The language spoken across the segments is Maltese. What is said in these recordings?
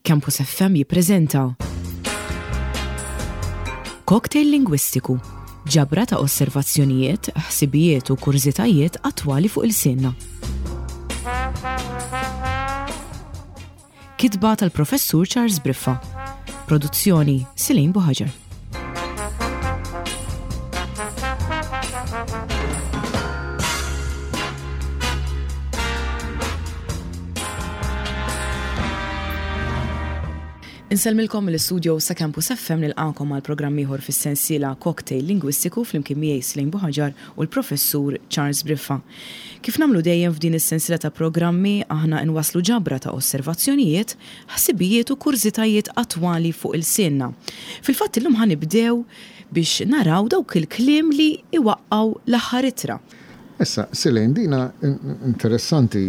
Campus FM jippreżenta Cocktail Lingwistiku, ġabra ta' osservazzjonijiet, ħsibijiet u kurżitajiet attwali fuq ilsienna. Kitba tal-Professur Charles Briffa. Produzzjoni Silin Buħaġar. Insellmilkom mill-istudio sa Campus FM nilqakom għal programm ieħor fis-sensiela Cocktail Lingwistiku flimkien miegħi Slejn Buħaġar u l-Professur Charles Briffa. Kif nagħmlu dejjem f'din is-sensiela ta' programmi aħna nwasslu ġabra ta' osservazzjonijiet, ħsibijiet u kurżitajiet attwali fuq ilsienna. Fil-fatt illum ħa nibdew biex naraw dawk il-kliem li iwaqqgħu l-aħħar ittra. Issa, Silene, dina interessanti.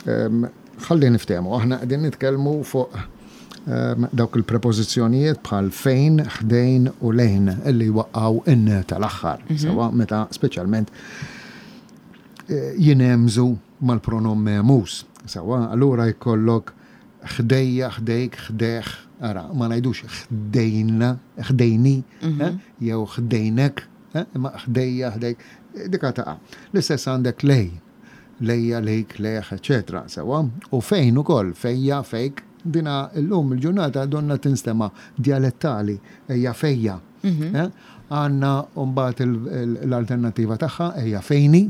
Ħalli niftehmu, aħna qegħdin nitkellmu fuq dawk il-prepożizzjonijiet bħal fejn, ħdejn u lejn li jwaqqgħu in tal-aħħar, sewwa meta speċjalment jinhemżu mal-pronom mehmuż. Sewwa, allura jkollok ħdejja, ħdejk, ħdejh, ara, ma ngħidux ħdejna, ħdejni, jew ħdejnek, imma ħdejja, ħdejk, dika taqa'. L-istess għandek lej, lejja, lejk, lejh, eċċetera Sewwa? U fejn ukoll, fejja, fejk, dina llum il-ġurnata donnha tinstema' djalettali, ejja fejja. Għandna mbagħad l-alternattiva tagħha, ejja fejni.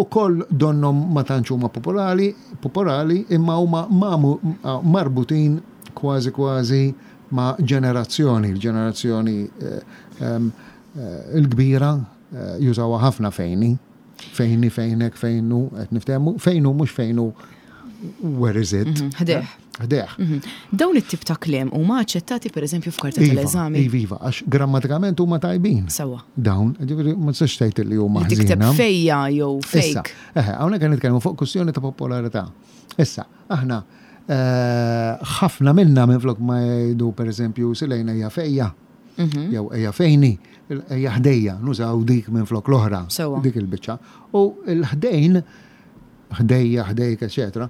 Ukoll donnhom ma tantx huma popolari, popolari imma huma marbutin kważi kważi ma' ġenerazzjoni, il-ġenerazzjoni l-kbira jużawha ħafna fejni. Fejni, fejnek, fejnu, qed niftehmu, fejnu mhux fejnu where is it? Mhm, ħdejh. Ħdejh. Mhm. Dawn it-tip ta' kliem huma aċċettati pereżempju f'karta iva, tal-eżami? Iva, iva, għax grammatikament huma tajbin. Sewwa. Dawn, ġifieri ma tistax tgħid li huma Li tikteb fejja jew fejk. Eħe, hawnhekk qed nitkellmu fuq kwistjoni ta' popolarità. Issa, aħna eh, ħafna minna minflok ma jgħidu pereżempju silejna hija fejja. Mhm. Jew ejja fejni, ejja ħdejja, nużaw dik minflok l-oħra. Dik il-biċċa. U l-ħdejn ħdejja, ħdejk, eċetera.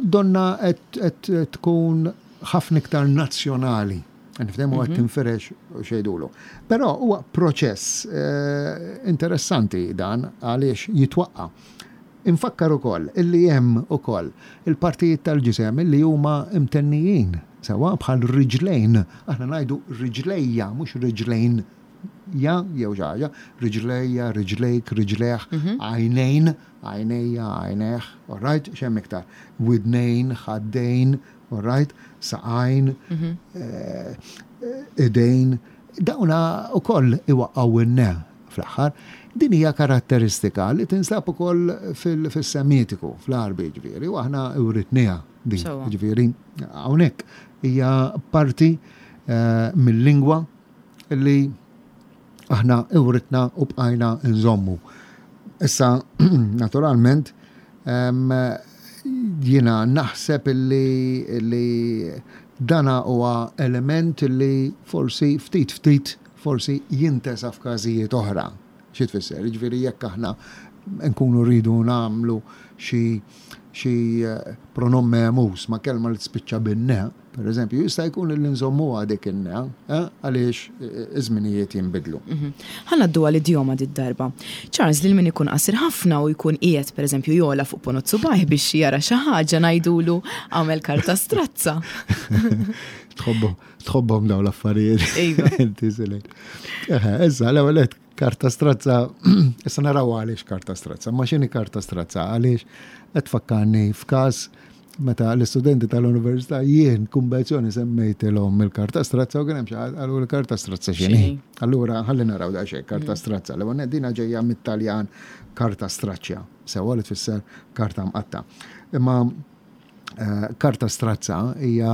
Donna qed tkun ħafna iktar nazzjonali. Niftehmu qed mhm. tinfirex xejdulu. Però huwa proċess eh, interessanti dan għaliex jitwaqqa. Infakkar ukoll illi hemm ukoll il-partijiet tal-ġisem illi huma imtennijin sewwa bħal riġlejn. Aħna ngħidu riġlejja mhux riġlejn ja jew xi ħaġa, riġlejja, riġlejk, riġlejh, għajnejn, għajnejja, għajnejh, all right, x'hemm iktar? Widnejn, ħaddejn, all right, saqajn, idejn, dawna wkoll iwaqqgħu in-ne fl-aħħar. Din hija karatteristika li tinsab ukoll fis-Semitiku, fl-Għarbi jiġifieri, u aħna writniha din. Jiġifieri hawnhekk hija parti mil-lingwa li aħna iwritna u bqajna nżommu. Issa, naturalment, jiena naħseb li, li dana huwa element li forsi ftit ftit forsi jintesa f'każijiet oħra. Xi tfisser? Jiġifieri jekk aħna nkunu rridu nagħmlu xi xi pronom mehmuż ma' kelma li tispiċċa bin-ne, Per eżempju, jista' jkun li nżommuha dik in-ne, eh, għaliex iż-żminijiet jinbidlu. Mhm. Ħa ngħaddu għal idjoma did-darba. Charles, lil min ikun qasir ħafna u jkun qiegħed pereżempju jogħla fuq ponot subgħajh biex jara xi ħaġa ngħidulu għamel karta strazza. Tħobbhom dawn l-affarijiet. Iva. Inti silek. Issa, l-ewwel karta strazza, issa naraw għaliex karta strazza, ma x'inhi karta strazza għaliex qed tfakkarni f'każ Meta l-istudenti tal-università jien kumbenzjoni semmejtilhom il-karta strazza u kien hemm xi ħadd qalu l-karta strazza x'inhi. Allura ħalli naraw daqsxejn karta mm. strazza. L-ewwel dina ġejja mit-Taljan karta straċċja, sewwa li tfisser karta mqatta. Imma eh, karta strazza hija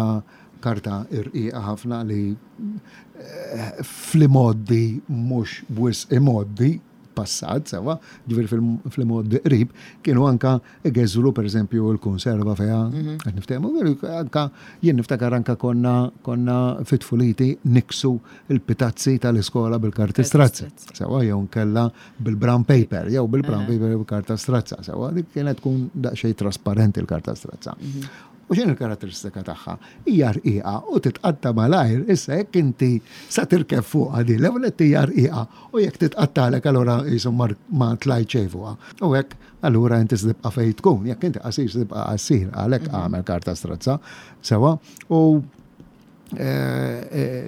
karta irqiqa ħafna li eh, fl-imoddi mhux wisq imoddi. fil-passat, sewwa, ġifieri fil-mgħoddi qrib, kienu anka igeżwru pereżempju l-kunserva fiha, qed niftehmu, anka jien niftakar anka konna konna fi tfuliti niksu l-pitazzi tal-iskola bil-karti strazzi, sewwa, jew nkella bil-brown paper, jew bil-brown paper jew karta strazza, sewwa, dik kienet tkun daqsxejn trasparenti l-karta strazza. U x'inhi l-karatteristika tagħha? Hija rqiqa u titqatta' malajr. Issa jekk inti sa tirkeb fuqha din, l-ewwel nett hija rqiqa u jekk titqattalek allura qisu ma tlajt xejn fuqha. U hekk allura inti se tibqa' fejn tkun. Jekk inti qasir se tibqa' qasir, għalhekk agħmel karta strazza. Sewwa? U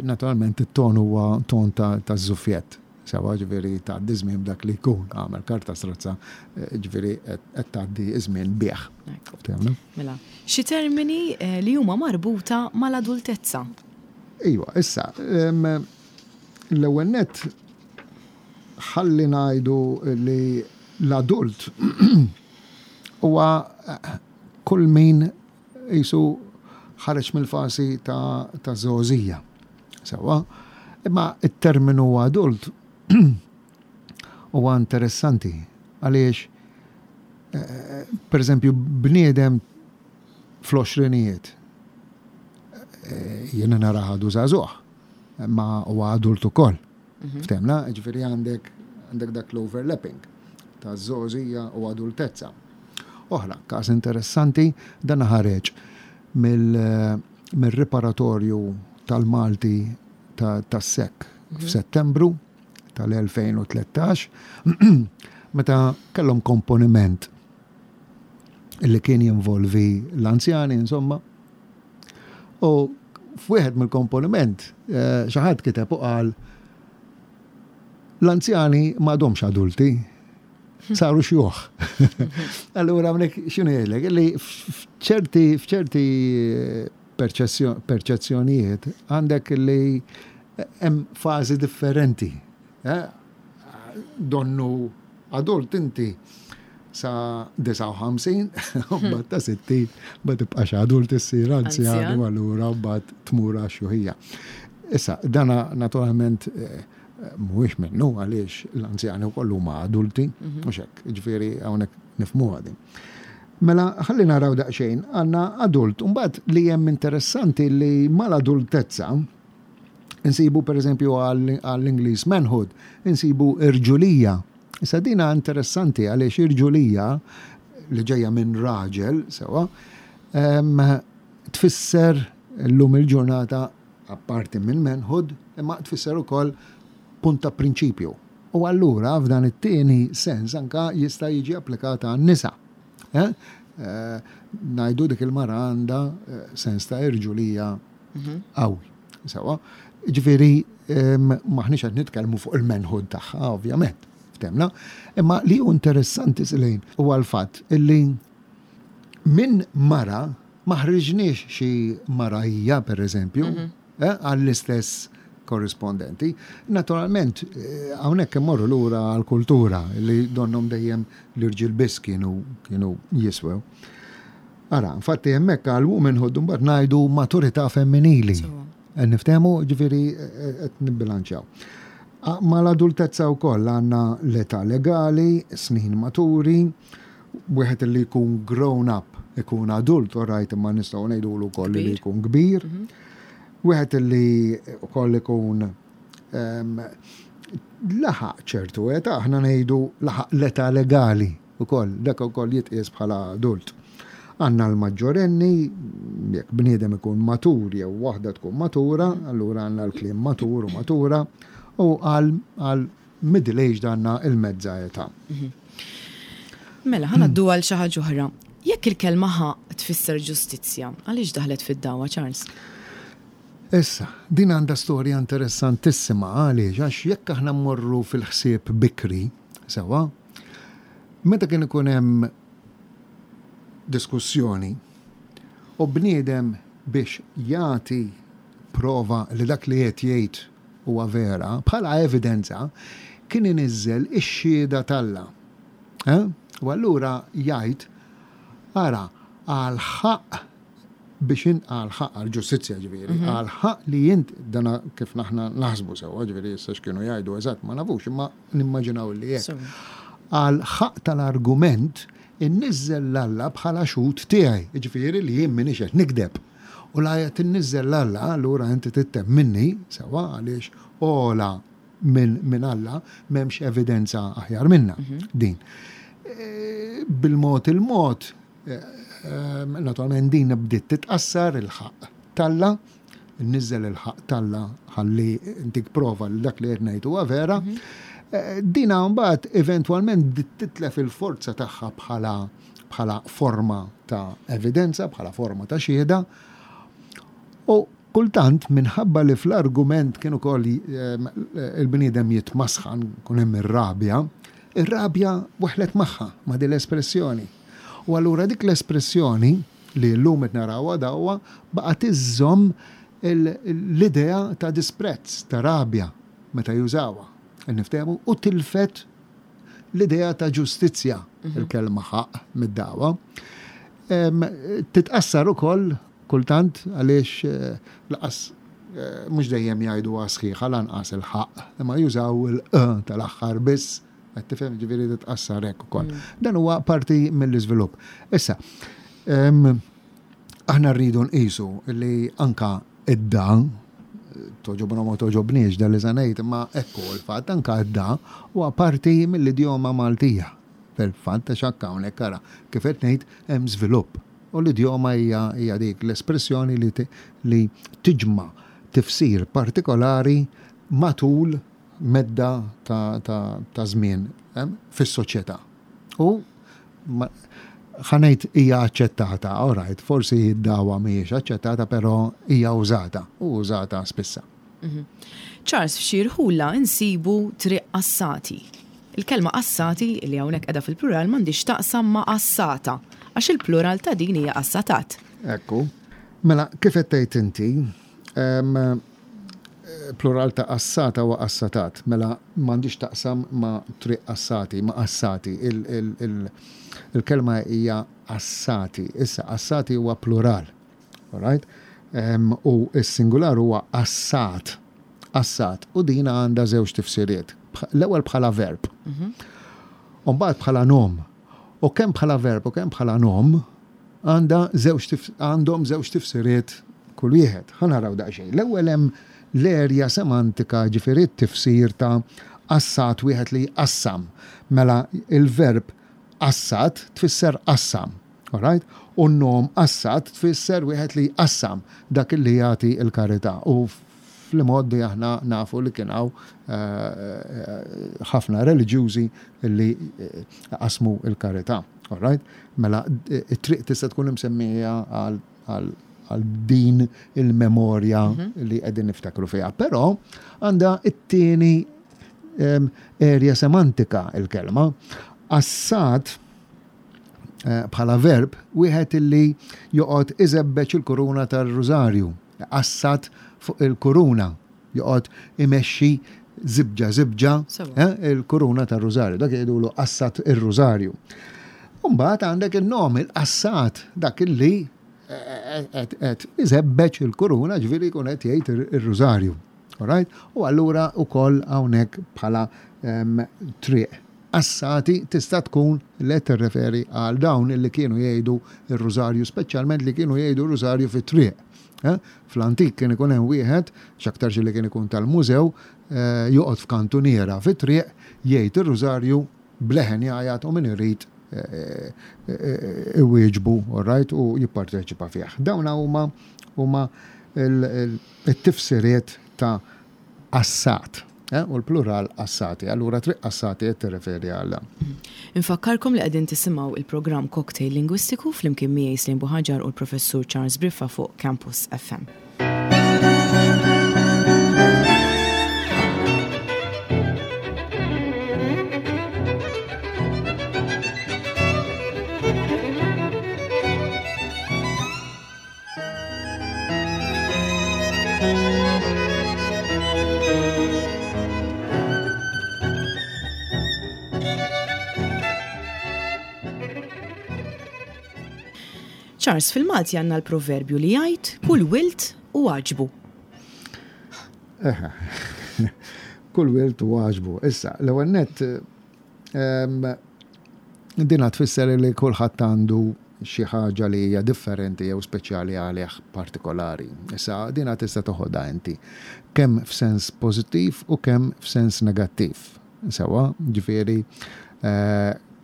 naturalment it-ton huwa ton ta' żuffjett. Sewwa, ġifieri tgħaddi żmien b'dak li jkun, agħmel karta strazza, ġifieri qed tgħaddi ż-żmien bih. Ftehmna? Mela, xi termini li huma marbuta mal-adultezza. Iva, issa, l-ewwel nett ħalli ngħidu li l-adult huwa kull min qisu ħareġ mill-fażi ta' żgħożija. Sewwa? Imma t-terminu adult huwa interessanti għaliex pereżempju bniedem fl-għoxrinijiet jiena narah għadu żagħżugħ, imma huwa adult ukoll. Ftehmna? Jiġifieri għandek għandek dak l-overlapping ta' żgħożija u adultezza. Oħra, każ interessanti, dan ħareġ mill-riparatorju tal-Malti tas-SEC f'Settembru tal-2013 meta kellhom komponiment li kien jinvolvi l-anzjani, insomma, U f'wieħed mill-komponiment xi ħadd kiteb u qal l-anzjani m'għadhomx adulti, saru xjuħ. Allura hawnhekk x'inhu jgħidlek? Li f'ċerti f'ċerti perċezzjonijiet għandek li hemm fażi differenti. Eh? Donnu adult inti sa 59, mbagħad ta' 60 ma tibqax adult issir anzjan u allura mbagħad tmur għax-xjuħija. Issa, dana naturalment eh, mhuwiex minnu għaliex l-anzjani wkoll huma adulti, mhm. mhux hekk, ġifieri hawnhekk nifhmuha din. Mela, ħalli naraw daqsxejn, għandna adult, mbagħad li hemm interessanti li mal-adultezza, Insibu pereżempju għall-Ingliż manhood, insibu irġulija. Issa dina interessanti għaliex irġulija li ġejja minn raġel, sewa, tfisser llum il-ġurnata apparti minn manhood, imma tfisser ukoll punt ta' prinċipju. U allura f'dan it-tieni sens anka jista' jiġi applikat għan-nisa. Eh? Eh, ngħidu dik il-mara għandha eh, sens ta' irġulija qawwi. Sewa, ġifieri maħniex qed nitkellmu fuq il-manhood tagħha, ovvjament, ftemna, imma li hu interessanti Selin huwa l-fatt illi minn mara ma ħriġniex xi mara hija pereżempju, mhm. eh, għall-istess korrispondenti. Naturalment, eh, hawnhekk immorru lura għall-kultura li donnhom dejjem l-irġiel biss kienu kienu jiswew. Ara, infatti hemmhekk għal womanhood mbagħad ngħidu maturità femminili. Niftehmu, ġifieri qed nibbilanċjaw. Mal-adultezza wkoll għandna l-età legali, snin maturi, wieħed li jkun grown up, ikun adult, all right, imma nistgħu ngħidulu wkoll li jkun kbir. Mhm. Wieħed li wkoll ikun ehm, laħaq ċertu età, aħna ngħidu laħaq l-età legali. Ukoll, dak ukoll jitqies bħala adult. Għandna l-maġġorenni, jekk bniedem ikun matur jew waħda tkun matura, allura għandna l-kliem matur u matura, u għal middle aged għandna il-mezza età. Mhm. Mela, ħa ngħaddu għal xi ħaġa oħra. Jekk il-kelma ħaqq tfisser ġustizzja, għaliex daħlet fid-dagħwa, Charles? Issa, din għandha storja interessantissima għaliex għax jekk aħna mmorru fil-ħsieb bikri, sewwa, Meta kien ikun hemm diskussjoni u bniedem biex jagħti prova li dak li qed jgħid huwa vera, bħala evidenza, kien iniżżel ix-xhieda t'Alla. Eh? U allura jgħid, ara, għall-ħaqq. Biex int għall-ħaqq, għall-ġustizzja ġifieri, għall-ħaqq li int, dana kif aħna naħsbu sewwa, ġifieri issa x'kienu jgħidu eżatt ma nafux, imma nimmaġinaw li hekk. Għall-ħaqq tal-argument inniżżel 'l Alla bħala xhud tiegħi, jiġifieri li jien m'iniex qed nigdeb. U la qed inniżżel 'l Alla, allura inti trid temminni, sewwa, għaliex ogħla minn minn Alla m'hemmx evidenza aħjar minnha din. Bil-mod il-mod, naturalment din bdiet titqassar il-ħaqq t'Alla, Inniżżel il-ħaqq t'Alla ħalli ntik prova li dak li qed ngħid huwa vera. Dina mbagħad eventwalment bdiet titlef il-forza tagħha bħala bħala forma ta' evidenza, bħala forma ta' xhieda. U kultant minħabba li fl-argument kien ukoll il-bniedem jitmasħan, kun hemm ir-rabja, ir-rabja weħlet magħha ma' din l-espressjoni. U allura dik l-espressjoni li llum qed narawha dawwa, baqgħet iżżomm l-idea ta' disprezz, ta' rabja meta jużawha. Qed niftehmu? U tilfet l-idea ta' ġustizzja, il-kelma ħaqq mid-dagħwa. Titqassar ukoll kultant għaliex laqas mhux dejjem jgħiduha sħiħa lanqas il-ħaqq, imma jużaw il-q tal-aħħar biss. Qed tifhem ġifieri titqassar hekk ukoll. Dan huwa parti mill-iżvilupp. Issa, aħna rridu nqisu li anka id-da, toġobna ma toġobniex dan li se ngħid, imma hekk hu l-fatt, anka id-da huwa parti mill-idjoma Maltija. Fil-fatt għax anke hawnhekk ara kif qed ngħid hemm żvilupp. U l-idjoma hija hija dik l-espressjoni li li tiġma' tifsir partikolari matul medda ta' żmien fis-soċjetà. U ħa ngħid hija aċċettata, all right, forsi d-dagħwa mhijiex aċċettata però hija użata u użata spissa. Charles, f'xi rħula nsibu triq Qassati. Il-kelma qassati, li hawnhekk qiegħda fil-plural, m'għandhiex x'taqsam ma' qassata, għax il-plural ta' din hija qassatat. Ekku. Mela, kif qed tgħid inti, Plural ta' qassata huwa qassatat. Mela m'għandhiex taqsam ma' triq qassati, ma' qassati. Il-kelma hija qassati. Issa qassati huwa plural. All right? U s-singular huwa qassat. Qassat. U din għandha żewġ tifsiriet. L-ewwel bħala verb. U mbagħad bħala nom. U kemm bħala verb u kemm bħala nom għandha żewġ għandhom żewġ tifsiriet kull wieħed. Ħa naraw daqsxejn. L-ewwel hemm l-erja semantika, ġifieri t-tifsir ta' qassat wieħed li jqassam. Mela il-verb qassat tfisser qassam. All right? U n-nom qassat tfisser wieħed li jqassam dak li jagħti l-karità. U fl-imgħoddi aħna nafu li kien hawn ħafna reliġjużi li qasmu l-karità. All right? Mela it-triq tista' tkun imsemmija għal din il-memorja li qegħdin niftakru fiha. Però għandha t-tieni erja semantika il-kelma. Qassat bħala verb wieħed illi joqgħod iżebbeġ il-kuruna tar-rużarju. Iqassat fuq il-kuruna, joqgħod imexxi żibġa żibġa il-kuruna tar-rużarju. Dak jgħidulu qassat ir-rużarju. Mbagħad għandek in-nom il-qassat dak illi qed iżebbeġ il-kuruna ġifieri jkun qed jgħid ir-rużarju. Alright? U allura wkoll hawnhekk bħala triq Qassati tista' tkun li qed tirreferi għal dawn li kienu jgħidu r-rużarju, speċjalment li kienu jgħidu r-rużarju fit-triq. Fl-antik kien ikun hemm wieħed, x'aktarx li kien ikun tal-mużew, joqgħod f'kantuniera fit-triq, jgħid ir-rużarju b'leħen jgħajjat u min irid iwieġbu, all right, u jipparteċipa fih. Dawn huma huma t-tifsiriet ta' qassat, u l-plural qassati. Allura triq qassati qed tirreferi għal dan. Infakkarkom li qegħdin tisimgħu il-programm Cocktail Lingwistiku flimkien miegħi Slim Buhaġar u l-Professur Charles Briffa fuq Campus FM. Charles, fil-Malti għandna l-proverbju li jgħid kull wild u għaġbu. Eħe, kull wild u għaġbu. Issa, l-ewwel nett dina tfisser li kulħadd għandu xi ħaġa li hija differenti jew speċjali għalih partikolari. Issa, dina tista' toħodha inti kemm f'sens pożittiv u kemm f'sens negattiv. Sewwa, ġifieri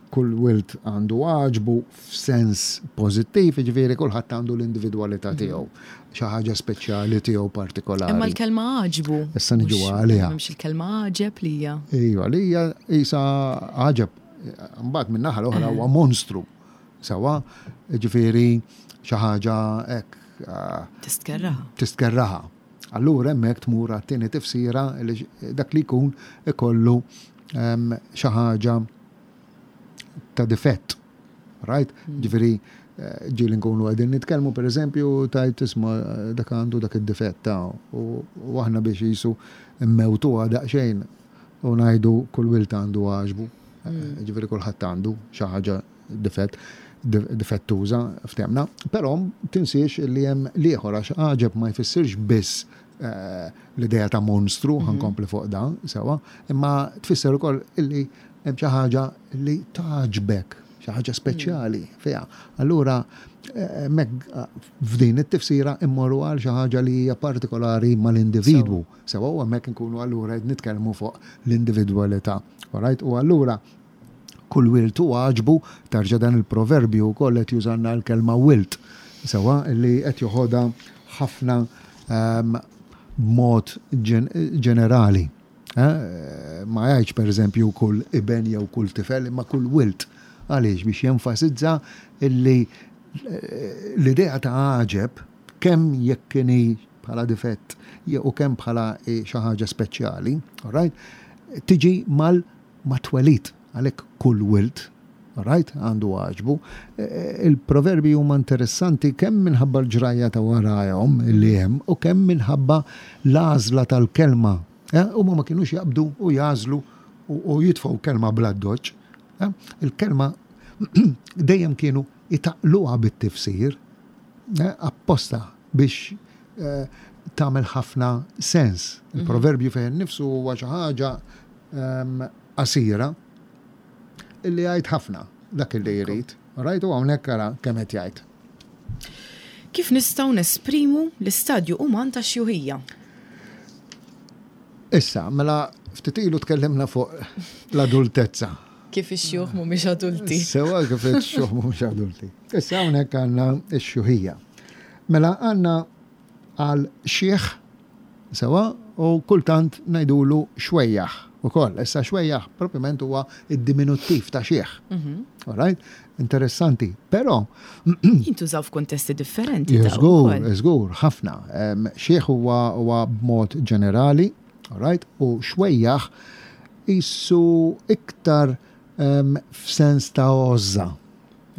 kull wild għandu għaġbu f'sens pożittiv, jiġifieri kulħadd għandu l-individwalità tiegħu, xi ħaġa speċjali tiegħu partikolari. Imma l-kelma għaġbu. Issa niġu għaliha. M'hemmx il-kelma għaġeb li hija. Iva, li hija qisha għaġeb. Mbagħad min-naħa l-oħra huwa monstru. Sewwa, jiġifieri xi ħaġa hekk. Tistkerraha. Tistkerraha. Allura hemmhekk tmur għat-tieni tifsira li dak li jkun ikollu xi ħaġa ta' difett. Right? Hmm. Ġifieri eh, ġieli nkunu qegħdin nitkellmu pereżempju tajt isma' dak għandu dak id-difett ta' u aħna biex jisu mmewtuha daqsxejn u ngħidu kull wild għandu għaġbu. Hmm. Eh, ġifieri kulħadd għandu xi ħaġa difett difettuża ftemna, però tinsiex li hemm l-ieħor għax għaġeb ma jfissirx biss eh, l-idea ta' monstru, mhm. ħankompli fuq dan, sewa, imma tfisser ukoll illi hemm xi ħaġa li tagħġbek, xi ħaġa speċjali mhm. fiha. Allura eh, hemmhekk eh, f'din it-tifsira immorru għal xi ħaġa li hija partikolari mal-individwu. Sewa u hemmhekk inkunu allura qed nitkellmu fuq l-individwalità. Alright? U allura Kull wild hu għaġbu, tarġa' dan il-proverbju wkoll qed jużalna l-kelma wild, sewwa, li qed joħodha ħafna b'mod ġenerali. Ma jgħidx pereżempju kull iben jew kull tifel, imma kull wild. Għaliex? Biex jenfasizza li l-idea ta' għaġeb, kemm jekk inhi bħala difett u kemm bħala xi ħaġa speċjali, all right, tiġi mal mat-twelid, għalhekk kull wild, alright, għandu għaġbu. Il-proverbi huma interessanti kemm minħabba l-ġrajja ta' warajhom li hemm u kemm minħabba l-għażla tal-kelma. Huma ma kinux jaqbdu u jagħżlu u jitfgħu kelma bl-addoċċ. Il-kelma dejjem kienu jtaqqluha bit-tifsir apposta biex tagħmel ħafna sens. Il-proverbju fih innifsu huwa xi ħaġa qasira illi jgħid ħafna dak illi jrid. Right? U hawnhekk ara kemm qed jgħid. Kif nistgħu nesprimu l-istadju uman tax-xjuħija? Issa, mela ftit ilu tkellimna fuq l-adultezza. Kif ix-xjuħ mhumiex adulti. Sewa kif ix-xjuħ mhumiex adulti. Issa hawnhekk għandna x-xjuħija. Mela għandna għal xiħ sewwa u kultant ngħidulu xwejjaħ ukoll. Issa xwejjaħ propjament huwa d-diminuttiv ta' xiħ. Mhm. All right? Interessanti. Però jintużaw f'kuntesti differenti. Żgur, żgur, ħafna. Xiħ huwa b'mod ġenerali, all right? U xwejjaħ jissu iktar f'sens ta' għożża.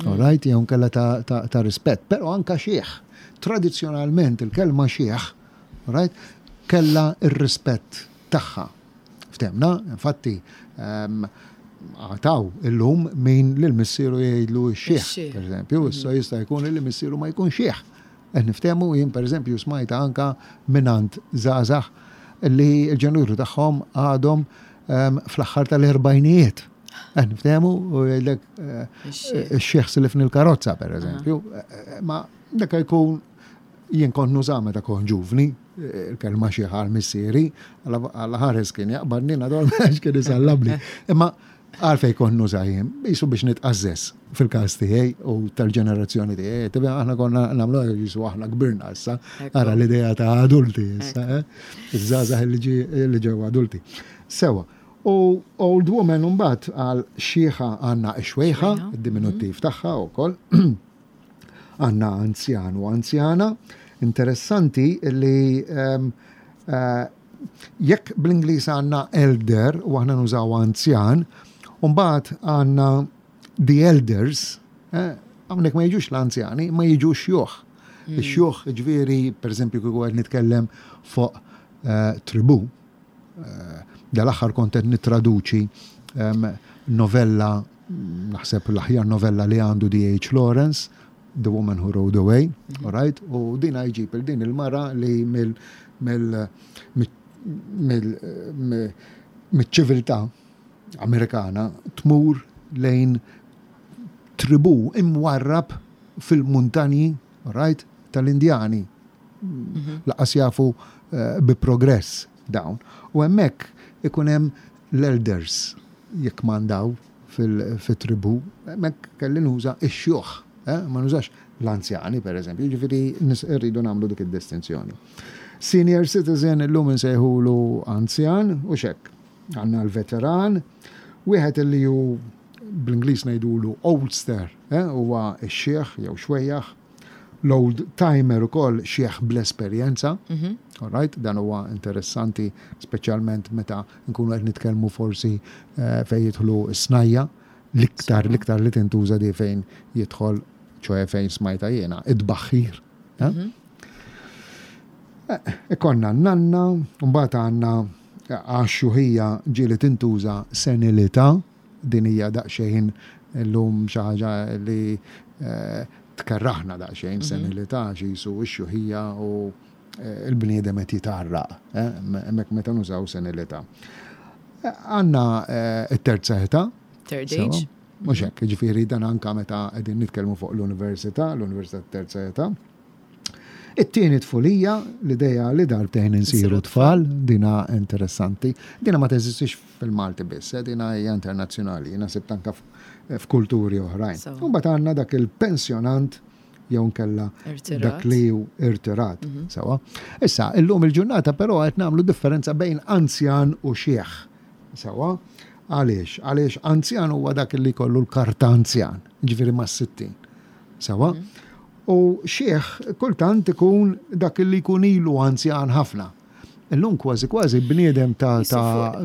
All right, jew nkella ta', ta, ta rispett, però anka xiħ. Tradizzjonalment il-kelma xiħ, right, kella ir-rispett tagħha. Ftemna, infatti, għataw illum min lil missieru jgħidlu x-xiħ, per eżempju, issa jista' jkun li missieru ma jkun xiħ. Qed niftehmu jien per eżempju smajta anka mingħand żgħażagħ li l-ġenituri tagħhom għadhom fl-aħħar tal-erbgħinijiet. Qed niftehmu u jgħidlek eh, ix-xiħ silifni l-karozza per eżempju. Eh, ma dak jkun jien kont nuża meta kont ġuvni, eh, il-kelma xiħ għal missieri, għal ħares kien jaqbadni nadol għax kien isallabli. Imma Għalfejn kont nuża jien, qisu biex nitqażżeż fil-każ tiegħi u tal-ġenerazzjoni tiegħi. Tibha aħna konna nagħmlu hekk qisu aħna kbirna issa. Ara l-idea ta' adulti issa, eh? Iż-żgħażagħ li ġew adulti. Sewa. U old woman mbagħad għal xiħa għandna x-xwejħa, id-diminuttiv tagħha wkoll. Għandna anzjan u anzjana. Interessanti li ehm, eh, Jekk bl-Ingliż għandna elder u aħna nużaw anzjan, u mbagħad għandna the elders, eh, hawnhekk ma jiġux l-anzjani, ma jiġu xjuħ. Hmm. Ix-xjuħ ġifieri, pereżempju kieku qed nitkellem fuq eh, tribu, eh, dal-aħħar kont qed nittraduċi ehm, novella, naħseb l-aħjar novella li għandu D.H. Lawrence, The Woman Who Rode Away, mm -hmm. right? U din jġib il din il-mara li mill mill mill mill-ċiviltà Amerikana tmur lejn tribu imwarrab fil-muntanji, right, tal-Indjani. Mhm. Laqas jafu eh, bi progress dawn. U hemmhekk ikun hemm l-elders jekk mandaw fil-tribu, hemmhekk kelli nuża ix-xjuħ, eh, ma nużax l-anzjani per eżempju, ġifieri rridu nagħmlu dik id-distinzjoni. Senior citizen illum insejħulu anzjan u xek. Għandna l-veteran, wieħed li hu bl-Ingliż ngħidulu oldster, eh, huwa x-xiħ jew xwejjaħ, l-old timer ukoll xiħ bl-esperjenza. Mhm. All right, dan huwa interessanti speċjalment meta nkunu qed nitkellmu forsi eh, fejn jidħlu s-snajja, l-iktar l-iktar li tintuża di fejn jidħol ċoe fejn smajta jiena, id-baħħir. Eh? Mhm. Eh, ikonna n-nanna, mbagħad għandna għax-xjuħija ġieli tintuża senilità, din hija daqsxejn illum xi ħaġa li eh, tkerraħna daqsxejn mhm. senilità xi jisu x-xjuħija u eh, l-bniedem qed jitarraq, eh, hemmhekk meta nużaw senilità. Għandna it-terza età. Third age. Mhux hekk, ġifieri dan anka meta qegħdin nitkellmu fuq l-università, l-università terza età. It-tieni tfulija, l-ideja li darbtejn insiru tfal, dina interessanti. Dina ma teżistix fil-Malti biss, eh, dina hija internazzjonali, jiena sibt anka f'kulturi oħrajn. Imbagħad għandna dak il-pensjonant jew nkella dak li hu irtirat. Mhm. Sewa. Issa, illum il-ġurnata però qed nagħmlu differenza bejn anzjan u xieħ. Sewa. Għaliex? Għaliex anzjan huwa dak li jkollu l-karta anzjan, ġifieri mas-60. Sewa. Mhm. U xiħ kultant ikun dak li jkun ilu anzjan ħafna. Illum kważi kważi bniedem ta' ta'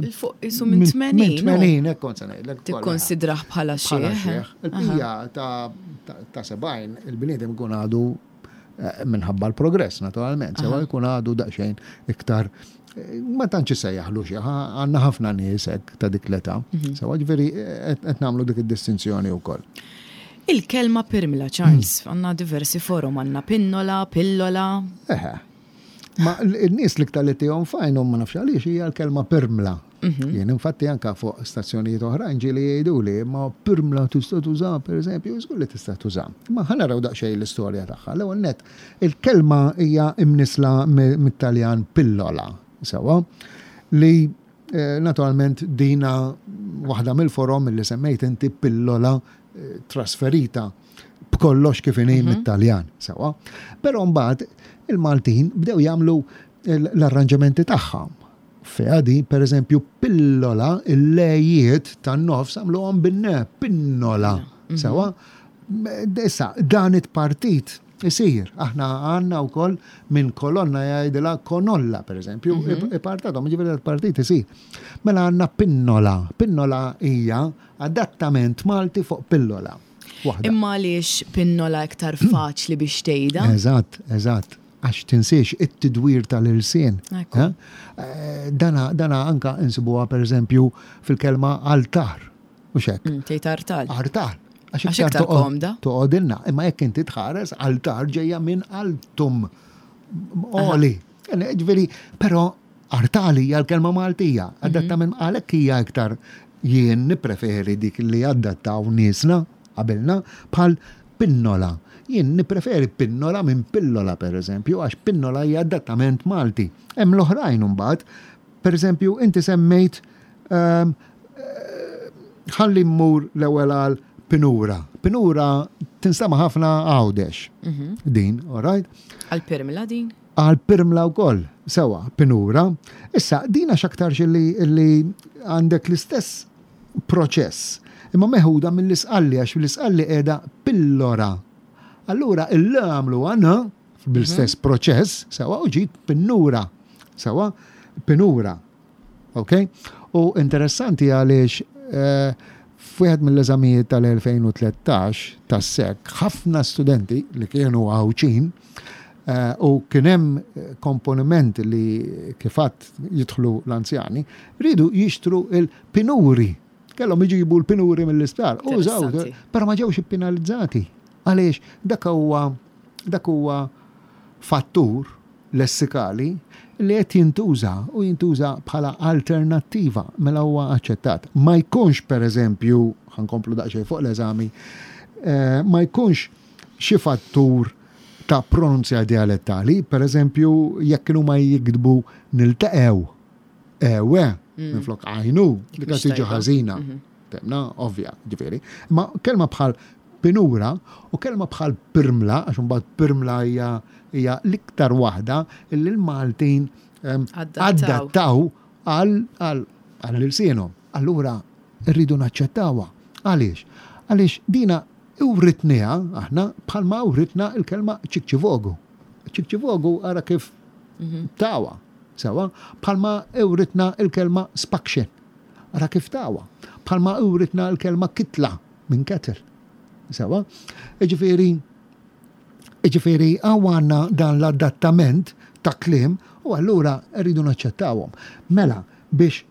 Isu minn 80. Minn 80, hekk kont se ngħidlek. Tikkonsidrah bħala xiħ. Il-bqija ta' 70 il-bniedem ikun għadu eh, minħabba l-progress naturalment, sewa jkun għadu daqsxejn iktar eh, ma tantx isejjaħlu xi għandna ħafna nies hekk ta' dik l-età. Mhm. Sewa ġifieri eh, qed nagħmlu dik id-distinzjoni wkoll. Il-kelma pirmla, Charles, għandna diversi forom, għandna pinnola, pillola. Eħe. Ma n-nies l-iktar li tihom fajnhom ma nafx għaliex hija l-kelma pirmla. Mhm. Jien infatti anka fuq stazzjonijiet oħrajn ġieli jgħiduli ma pirmla tista' tuża pereżempju, żgur li tista' tuża. Ma ħa naraw daqsxejn l-istorja tagħha. L-ewwel nett, il-kelma hija imnisla mit-Taljan pillola, sewwa, li Eh, naturalment dina waħda mill-forom li semmejt inti pillola eh, trasferita b'kollox kif inhi mhm. mit-Taljan, sewa. Però mbagħad il-Maltin bdew jagħmlu l-arranġamenti tagħha. Fiha di, per eżempju, pillola, il-lejiet tan-nofs għamluhom bin-ne, pinnola, mhm. sewa. Issa, dan it-partit Isir, aħna għandna wkoll minn kolonna jgħidilha konolla, per eżempju, mm -hmm. ipartatom, ġifieri partit isir. Mela għandna pinnola. Pinnola hija adattament Malti fuq pillola. Imma għaliex pinnola iktar faċli biex tgħidha? Eżatt, eżatt. Għax tinsiex it-tidwir tal-ilsien. Eh? Eh, dana, dana anka insibuha per eżempju fil-kelma altar. Mhux hekk. Mm, tgħid artal. Artal. Għax iktar komda. Toqgħodilna, imma jekk inti tħares altar ġejja minn altum. Oli. Ġifieri, però artali hija l-kelma Maltija, mhm. adatta minn għalhekk hija iktar jien nippreferi dik li adattaw niesna qabilna bħal pinnola. Jien nippreferi pinnola minn pillola per eżempju, għax pinnola hija adattament Malti. Hemm l-oħrajn imbagħad, per eżempju, inti semmejt ehm, ħalli mmur l-ewwel għal pinura. Pinura tinstama' ħafna Għawdex. Mhm. Din, all right? Għal pirmla din? Għal pirmla wkoll, sewa, pinura. Issa, din għax aktarx li għandek l-istess proċess. Imma meħuda mill-isqalli għax l-isqalli qiegħda pillora. Allura il-l għamlu għana bil-istess mhm. proċess, sewa, u ġiet pinnura. Sewa, pinura. Ok? U interessanti għaliex eh, f'wieħed mill-eżamijiet tal-2013 tas-SEC, ħafna studenti li kienu Għawdxin eh, u kien hemm eh, komponiment li kifat jidħlu l-anzjani, ridu jixtru il-pinuri. Kellhom iġibu l-pinuri mill-isptar. Użaw, però ma ġewx ippenalizzati. Għaliex dak huwa dak huwa fattur lessikali li qed jintuża u jintuża bħala alternattiva mela huwa aċċettat. Ma jkunx pereżempju, ħa nkomplu daqsxejn fuq l-eżami, eh, ma jkunx xi fattur ta' pronunzja dialettali, pereżempju jekk kienu ma jiktbu niltaqgħu ewe mm. minflok għajnu, dik tiġi ħażina. Mhm. Temna, ovvja, ġifieri. Ma kelma bħal pinura u kelma bħal pirmla, għax imbagħad pirmla hija hija l-iktar waħda li l-Maltin adattaw għal ilsienhom. Allura rridu naċċettawha. Għaliex? Għaliex dina writniha aħna bħalma writna l-kelma ċikċivogu. Ċikċivogu ara kif mhm. tawa, sewa, bħalma writna l-kelma spakxen. Ara kif tawa. Bħalma writna l-kelma kitla minn kettle. Sewa? Ġifieri, ġifieri hawn għandna dan l-adattament ta' kliem u allura rridu naċċettawhom. Mela, biex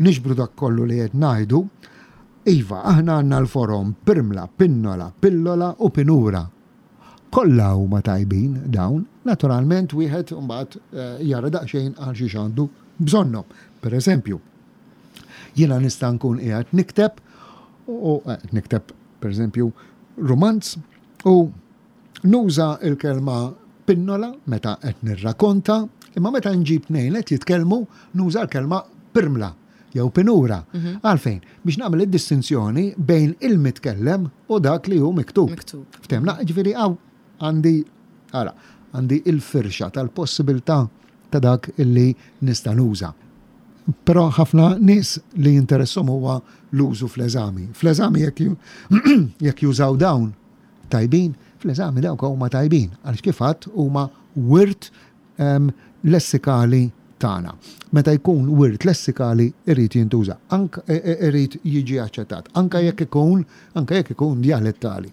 niġbru dak kollu li qed ngħidu, iva, aħna għandna l-forom pirmla, pinnola, pillola u pinura. Kollha huma tajbin dawn, naturalment wieħed imbagħad eh, jara daqsxejn għal xiex għandu bżonnhom. Per eżempju, jiena nista' nkun qiegħed nikteb u eh, nikteb per eżempju rumanz u nuża il-kelma pinnola meta qed nirrakonta, imma meta nġib tnejn qed jitkellmu nuża l-kelma pirmla jew pinura. Mhm. Għalfejn, biex nagħmel id-distinzjoni bejn il-mitkellem u dak li hu miktub. Miktub. Ftemna, ġifieri hawn għandi ara, għandi il-firxa tal-possibilità ta' dak illi nista' nuża. Però ħafna nies li jinteressom huwa l-użu fl-eżami. Fl-eżami jekk jużaw dawn tajbin, fl-eżami dawk huma tajbin, għaliex kif għadt huma wirt lessikali tagħna. Meta jkun wirt lessikali irid jintuża, anke e, e, irid jiġi aċċettat, anke jekk ikun anke jekk ikun dialettali.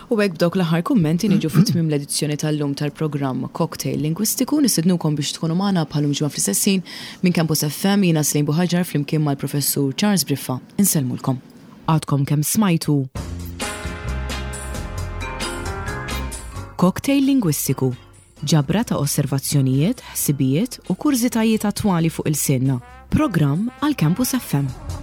U hekk b'dawk l-aħħar kummenti niġu fi tmiem l-edizzjoni tal-lum tal-programm Cocktail Lingwistiku nistednukom biex tkunu magħna bħalum ġimgħa fl-istess ħin minn Campus FM jiena Slejn Buħaġar flimkien mal-Professur Charles Briffa. Insellmulkom. Għadkom kemm smajtu Cocktail Lingwistiku Ġabra ta' osservazzjonijiet, ħsibijiet u kurżitajiet attwali fuq ilsienna. Programm għal Campus FM.